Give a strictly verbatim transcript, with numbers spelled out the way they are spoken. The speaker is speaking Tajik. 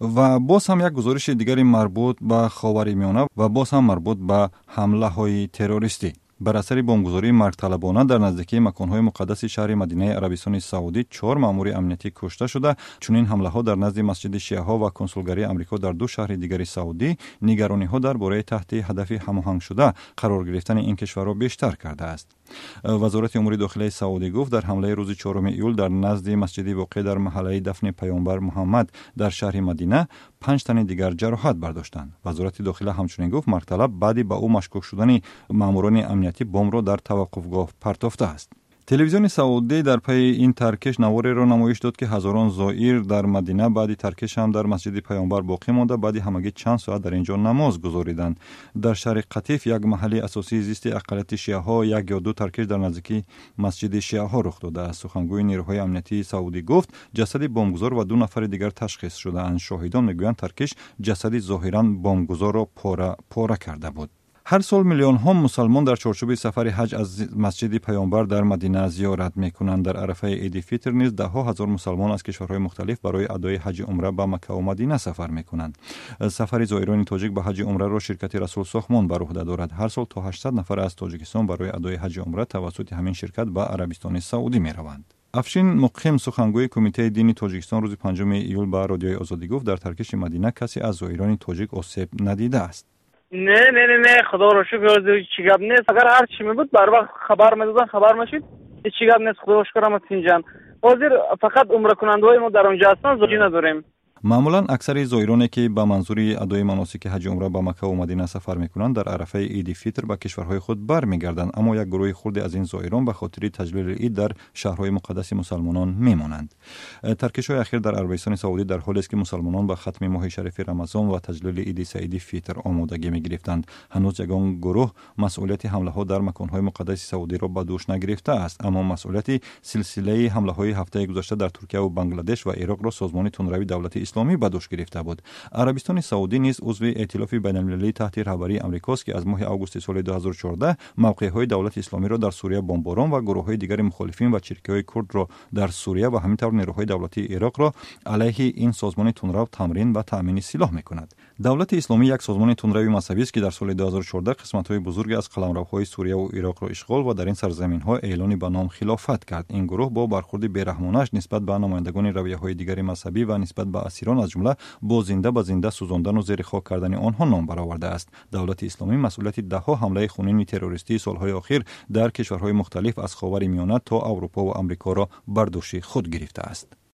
Ва боз ҳам як гузориши дигари марбут ба Ховари Миёна ва боз ҳам марбут ба ҳамлаҳои террористӣ. Бар асари бомбгузории маргталабона дар наздикии маконҳои муқаддаси шаҳри Мадинаи Арабистони Саудӣ чор маъмури амниятӣ кушта шуда. Чунин ҳамлаҳо дар назди масҷиди шиаҳо ва консулгарии Амрико дар ду шаҳри дигари Саудӣ нигарониҳо дар бораи таҳти ҳадафи ҳамоҳангшуда қарор гирифтани ин кишварро бештар кардааст. Вазорати умури дохилаи Саудӣ гуфт, дар ҳамлаи рӯзи чоруми июл дар назди масҷиди воқеъ дар маҳаллаи дафни паёмбар Муҳаммад дар шаҳри Мадина панҷ тани дигар ҷароҳат бардоштанд. Вазорати дохила ҳамчунин гуфт, маргталаб баъди ба ӯ машкук шудани маъмурони амниятӣ бомбро дар таваққуфгоҳ партофтааст. Телевизиони Саудӣ дар пайи ин таркиш навореро намоиш дод, ки ҳазорон зоир дар Мадина баъди таркиш ҳам дар масҷиди паёмбар боқӣ монда, баъди ҳамагӣ чанд соат дар ин ҷо намоз гузориданд. Дар шаҳри Қатиф, як маҳалли асосии зисти ақаллияти шиаҳо, як ё ду таркиш дар наздикии масҷиди шиаҳо рух додааст. Сухангӯи нерӯҳои амниятии Саудӣ гуфт, ҷасади бомбгузор ва ду нафари дигар ташхис шудаанд. Шоҳидон мегӯянд, таркиш ҷасади зоҳиран бомбгузорро пора пора карда буд. Ҳар сол миллионҳо мусалмон дар чорчӯби сафари ҳаҷ аз масҷиди паёмбар дар Мадина зиёрат мекунанд. Дар арафаи Иди Фитр низ даҳҳо ҳазор мусалмон аз кишварҳои мухталиф барои адои ҳаҷи умра ба Маккаву Мадина сафар мекунанд. Сафари зоирони тоҷик ба ҳаҷи умраро ширкати Расул Сохмон бар уҳда дорад. Ҳар сол то ҳаштсад нафар аз Тоҷикистон барои адои ҳаҷи умра тавассути ҳамин ширкат ба Арабистони Саудӣ мераванд. Афшин Муқим, сухангӯи Кумитаи дини Тоҷикистон, рӯзи панҷуми июл ба Радиои Озодӣ гуфт, дар таркиши Мадина касе аз зоирони тоҷик осеб надидааст. Не, не, не, не, худоро шукр, ҳеҷ гап нест. Агар ҳар чӣ мебуд, бар вақт хабар медодан, хабар мешид. Ҳеҷ гап нест, худоро шукр, ҳама тинҷан. Ҳозир фақат умракунандаҳои мо дар онҷо ҳастанд, зоҷӣ надорем. Маъмулан аксари зоироне, ки ба манзури адои маносики ҳаҷи умра ба Маккаву Мадина сафар мекунанд, дар арафаи Иди Фитр ба кишварҳои худ бармегарданд, аммо як гурӯҳи хурде аз ин зоирон ба хотири таҷлили ид дар шаҳрҳои муқаддаси мусалмонон мемонанд. Таркишҳои ахир дар Арабистони Саудӣ дар ҳолест, ки мусалмонон ба хатми моҳи шарифи Рамазон ва таҷлили Иди Саиди Фитр омодагӣ мегирифтанд. Ҳанӯз ягон гурӯҳ масъулияти ҳамлаҳо дар маконҳои муқаддаси Саудиро ба дӯш нагирифтааст, аммо масъулияти силсилаи ҳамлаҳои ҳафтаи гузашта дар Туркияву Бангладеш ва Ироқро созмони тундрави Давлати Исломӣ ба дӯш гирифта буд. Арабистони Саудӣ низ узви эътилофи байналмилалии таҳти раҳбарии Амрикост, ки аз моҳи августи соли ду ҳазору чордаҳ мавқеъҳои Давлати Исломиро дар Сурия бомборон ва гурӯҳҳои дигари мухолифин ва чиркиҳои курдро дар Сурия ва ҳамин тавр нерӯҳои давлатии Ироқро алайҳи ин созмони тундрав тамрин ва таъмини силоҳ мекунад. Давлати Исломӣ як созмони тундрави мазҳабист, ки дар соли ду ҳазору чордаҳ қисматҳои бузурге аз қаламравҳои Сурияву Ироқро ишғол ва дар ин сарзаминҳо эълони ба ном хилофат кард. Ин гурӯҳ бо бархурди бераҳмонааш нисбат ба намояндагони равияҳои дигари мазҳабӣ ва нисбат ба асирон, аз ҷумла бо зинда ба зинда сӯзондану зери хок кардани онҳо ном баровардааст. Давлати Исломӣ масъулияти даҳҳо ҳамлаи хунини террористии солҳои охир дар кишварҳои мухталиф аз Ховари Миёна то Аврупо ва Амрикоро бар дӯши худ гирифтааст.